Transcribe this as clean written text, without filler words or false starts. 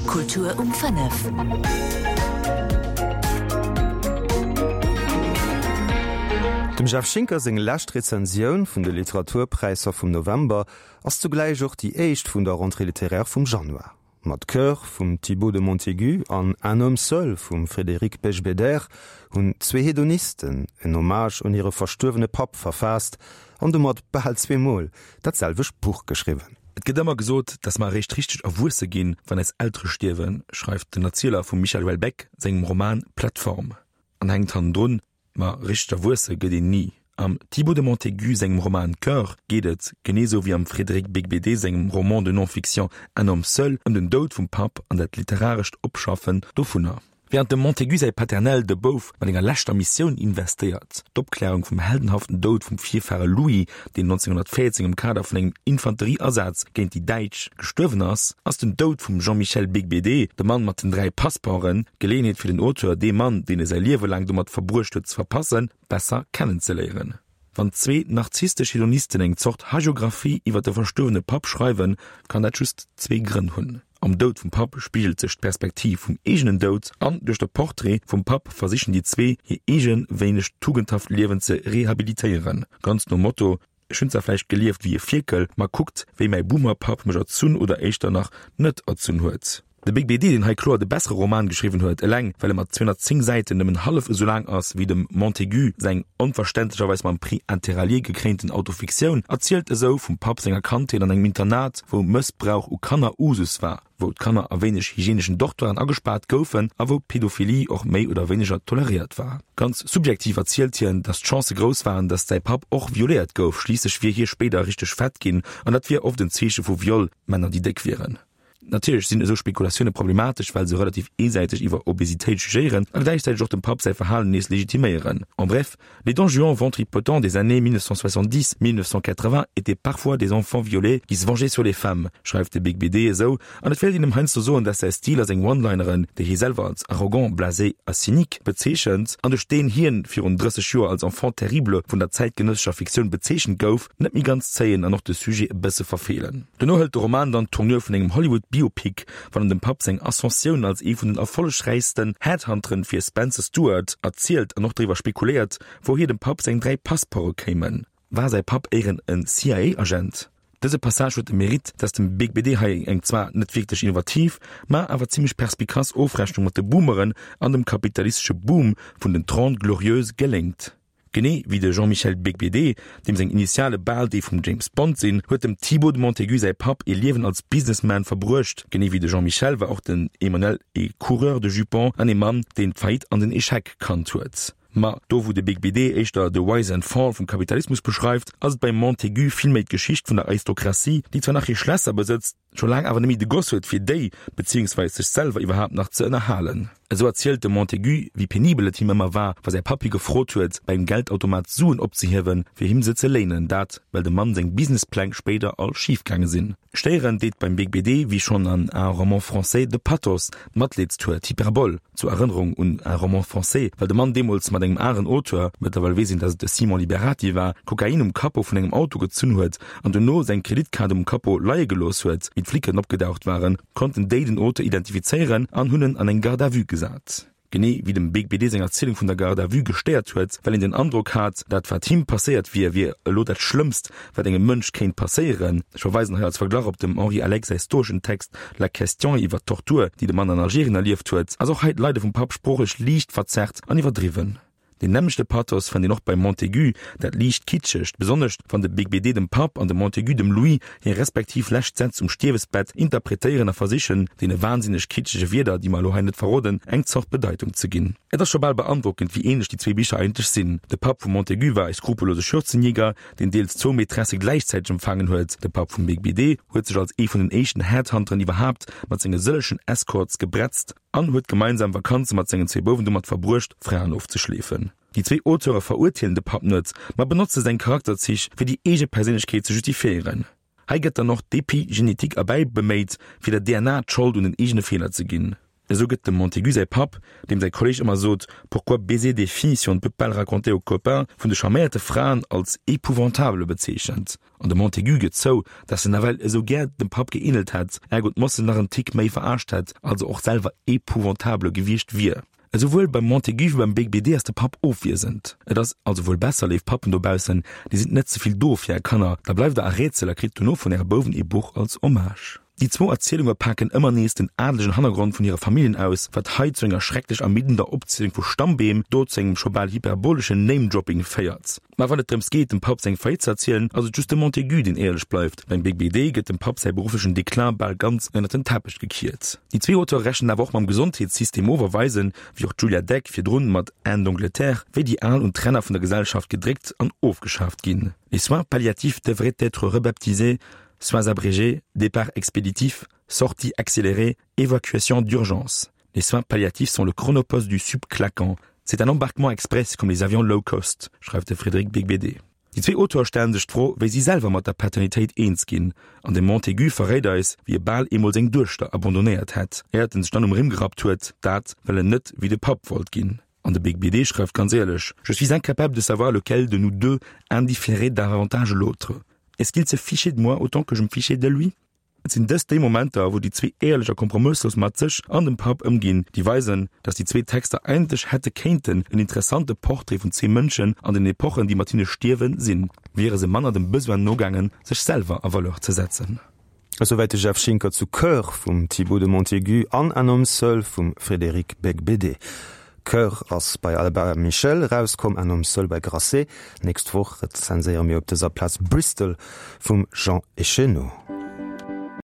Kultur um 5. Dem Jeff Schinker seng lescht Rezensioun vun de Literaturpräisser vum November ass zugläich och déi éischt vun der Rentrée littéraire vum Januar. Mat Coeur vum Thibaut de Montaigu an Un homme seul vum Frédéric Beigbeder hunn zwee Hedonisten en Hommage un hire verstuerwene Papp verfaasst an domat bal zweemol dat selwecht Buch geschriwwen. Et gëtt ëmmer gesot, dass mer eréischt richteg erwuesse ginn, wann eis Eltere stierwen, schreift den Erzieler vum Michel Houellebecq sengem Roman Plateforme an hänkt hannendrun, Ma richteg erwuesse gëtt een ni. Am Thibaut de Montaigu sengem Roman Coeur geet et, genee sou wéi am Frédéric Beigbeder sengem Roman de non-fiction Un homme seul, ëm den Doud vum Papp an dat literarescht Opschaffen dovunner. Wärend dem Montaigu säi Paternel de Bouf mat enger leschter Missioun investéiert, d'Opklärung vum heldenhaften Doud vum Virfahre Louis, deen 1914 am Kader vun engem Infanterieasaz géint déi Däitsch gestuerwen ass, ass den Doud vum Jean-Michel Beigbeder, de Mann mat den 3 Passeporten, d'Geleeënheet fir den Auteur, dee Mann, deen e säi Liewe laang domat verbruecht huet ze verpassen, besser kennenzeléieren. Wann zwee narzisstesch Hedonisten eng Zort Hagiographie iwwer de verstuerwene Papp schreiwen, kann dat just zwee Grënn hunn, Am Doud vum Papp spigelt sech d'Perspektiv vum eegenen Doud an duerch de Portrait vum Papp versichen déi zwee hir eege wéineg tugendhaft Liewen ze rehabilitéieren, ganz nom Motto, Ech hunn zwar vläicht gelieft wéi e Fierkel, ma kuckt wéi mäi Boomer-Papp mech erzunn oder éischter nach net erzunn huet. De Big BD, deen hei kloer de bessere Roman geschriwwen huet, eleng well e mat 210 Säiten nëmmen hallef esou laang ass wéi dem Montaigu seng onverständlecherweis mam Prix Interallié gekréinten Autofiktioun, erzielt esou vum Papp senger Kandheet an engem Internat, wou Mëssbrauch u Kanner Usus war, wou d'Kanner a wéineg hygieneschen Dortoiren agespaart goufen a wou Pedophilie och méi oder wéineger toleréiert war. Ganz subjektiv erzielt hien, datt d'Chancë grouss waren, datt säi Papp och violéiert gouf, schliisslech wier hie spéider richteg fett ginn an dat wier oft en Zeeche vu Viol, Männer déi déck wieren. Natierlech sinn esou Spekulatioune problematesch, well se relativ eesäiteg iwwer Obesitéit jugéieren a gläichzäiteg och dem Papp säi Verhalen nees legitiméieren. En bref, les Don Juan ventripotents des années 1970, 1980 étaient parfois des enfants violés qui se vengeaient sur les femmes, schreift de Big BD esou, an et wéilt een em heiansdo soen, dass säi Stil a seng One-Lineren, déi hie selwer als arrogant, blasé a cynique bezeechent an duerch deen hien virun 30 Joer als Enfant terrible vun der zäitgenëssescher Fiktioun bezeechent gouf, net méi ganz zéien an och de Sujet e bësse verfeelen. Dono hëlt de Roman dann d'Tournure vun engem Hollywood-Biopic, wann en dem Papp seng Ascensioun als ee vun den erfollegräichsten Headhunteren fir Spencer Stuart erzielt an och driwwer spekuléiert, wouhier dem Papp seng 3 Passeporte kéimen. War säi Papp éieren en CIA-Agent? Dëse Passage huet de Mérite, dass dem Big BD hei eng zwar net wierklech innovativ, ma awer zimmlech perspikass Ofrechnung mat de Boomeren an dem kapitalistesche Boom vun den Trente Glorieuses geléngt. Genee wéi de Jean-Michel Beigbeder, deem seng Initiale bal déi vum James Bond sinn, huet dem Thibaut de Montaigu säi Papp ee Liewen als Businessman verbruecht. Genee wéi de Jean-Michel war och den Emmanuel ee Coureur de jupons an ee Mann, deen d'Faillite an den Echec kannt huet. Ma do wou de Beigbeder éischter de Rise and Fall vum Kapitalismus beschreift, ass et beim Montaigu vill méi d'Geschicht vun der Aristokratie, déi zwar nach hir Schlässer besëtzt, scho laang awer net méi de Goss huet fir déi, beziehungsweis sech selwer iwwerhaapt nach ze ënnerhalen. Esou erzielt de Montaigu, wéi penibel et him ëmmer war, wa säi Papp hie gefrot huet, bei engem Geldautomat Suen opzehiewen, fir him se ze léinen, dat, well dem Mann seng Businesspläng spéider all schif gaange sinn. Stéierend deet beim Beigbeder, wéi schonn an Un roman français, de Pathos, d'Matleedstour, d'Hyperbole, zur Erënnerung un Un roman français, well de Mann deemools mat engem aneren Auteur, mëttlerweil weess een, datt et de Simon Liberati war, Kokain um Capot vun engem Auto gezunn huet an dono seng Kreditkaart um Capot leie gelooss huet. Wéi d'Flicken opgedaucht waren, konnten déi den Auteur identifizéieren an hunn en an eng Garde à vue gesat. Genee wéi dem Big BD seng Erzielung vun der Garde à vue gestéiert huet, well een den Androck hat, dat wat him passéiert wier, wier elo dat Schlëmmst, wat engem Mënsch kéint passéieren. Ech verweisen hei als Verglach op dem Henri Alex säi stoeschen Text La question iwwer d'Tortur, déi de Mann an Algerien erlieft huet, ass och hei d'Leide vum Papp sproochlech liicht verzerrt an iwwerdriwwen. Deen nämmlechte Pathos fënnt een och beim Montaigu, dat liicht kitschegt, besonnesch wann de Beigbeder dem Papp an de Montaigu dem Louis hir respektiv lescht Sätz um Stierwesbett interpretéieren a versichen, deene wahnsinneg kitschege Wierder, déi mer elo hei net verroden, eng Zort Bedeitung ze ginn. Et ass scho bal beandrockend, wéi ähnlech déi zwee Bicher eigentlech sinn. De Papp vum Montaigu war e skrupellose Schürzenjäger, deen deels zwou Maîtresse gläichzäiteg empfaangen huet. De Papp vum Beigbeder huet sech als ee vun den éischten Headhunteren iwwerhaapt mat senge sëllechen Escorts gebretzt, An huet gemeinsam Vakanze mat sengen zwee Bouwen domat verbruecht, Fraen ofzeschleefen. Déi zwee Auteure verurteelen de Papp net, ma benotze seng Charakterzich, fir déi eege Perséinlechkeet ze justifiéieren. Hei gëtt dann och d'Epigenetik erbäi beméit, fir der DNA d'Schold un den eegene Feeler ze ginn. Esou gëtt dem Montaigu säi Papp, deem säi Kolleg ëmmer sot, Pourquoi baiser des filles si on ne peut pas le raconter aux copains, vun de charméierte Fraen als épouvantable bezeechent. An de Montaigu gëtt zou, dass en nawell esou gär dem Papp geähnelt hätt, ergo d'Mossen nach en Tick méi verarscht hätt, also och selwer épouvantable gewiescht wier. Esouwuel beim Montaigu wéi beim Beigbeder ass de Papp ofwiesend. Et ass also wuel besser, léif Pappen dobaussen, dir sidd net ze vill do fir är Kanner, da bleift der a Rätsel a kritt dono vun äre Bouwen ee Buch als Hommage. Déi zwou Erzielunge paken ëmmer nees den adelegen Hannergrond vun hire Familljen aus, wat hei zu enger schrecklech ermiddender Opzielung vu Stammbeem, do zu engem scho bal hyperboleschen Name-Dropping féiert. Mä wann et drëms geet, dem Papp seng Faillite ze erzielen, ass et just de Montaigu, deen éierlech bleift. Beim Beigbeder gëtt dem Papp säi berufflechen Déclin bal ganz ënnert den Teppech gekiert. Déi zwee Auteure rechnen awer och mam Gesondheetssystem of a weisen, wéi och d'Julia Deck virdrun mat Anne d'Angleterre, wéi déi Al un d'Ränner vun der Gesellschaft gedréckt an ofgeschaaft ginn. Les soins palliatifs devraient être rebaptisés Soins abrégés, départ expéditif, sortie accélérée, évacuation d'urgence. Les soins palliatifs sont le chronopost du subclaquant. C'est un embarquement express comme les avions low cost, schreift de Frédéric Beigbeder. Déi zwee Auteure stellen sech d'Fro, wéi si selwer mat der Paternitéit eens ginn, an de Montaigu verréit eis, wéi e bal eemol seng Duechter abandonnéiert hätt, éiert en sech dann um Rimm gerappt huet, dat well en net wéi de Papp wollt ginn. An de Beigbeder schreift ganz éierlech, Je suis incapable de savoir lequel de nous deux indifférait davantage l'autre. Est-ce qu'il se fichait de moi autant que je me fichais de lui? Et sinn dëst déi Momenter, wou déi zwee éierlech a kompromësslos mat sech an dem Papp ëmginn, déi weisen, datt déi zwee Texter eigentlech hätte kéinten en interessante Portrait vun zwee Mënschen an den Epochen, déi mat hinne stierwen, sinn, wiere se manner dem Besoin nogaangen, sech selwer a Valeur ze setzen. Esouwäit de Jeff Schinker zu Coeur vum Thibaut de Montaigu an Un homme seul vum Frédéric Beigbeder. Coeur ass bei Albert Michel erauskomm, Un homme seul bei Grasset. Nächst Woch rezenséiere mir op dëser Plaz Bristol vum Jean Echenoz.